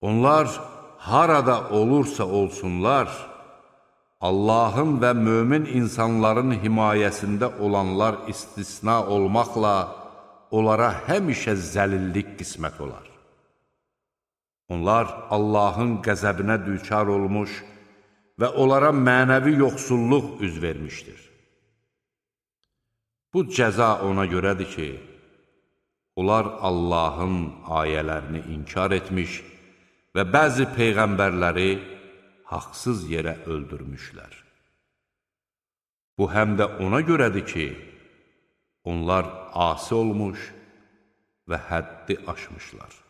Onlar harada olursa olsunlar, Allahın və mömin insanların himayəsində olanlar istisna olmaqla onlara həmişə zəlillik qismət olar. Onlar Allahın qəzəbinə düçar olmuş və onlara mənəvi yoxsulluq üz vermişdir. Bu cəza ona görədir ki, onlar Allahın ayələrini inkar etmiş və bəzi peyğəmbərləri haqsız yerə öldürmüşlər. Bu həm də ona görədir ki, onlar asi olmuş və həddi aşmışlar.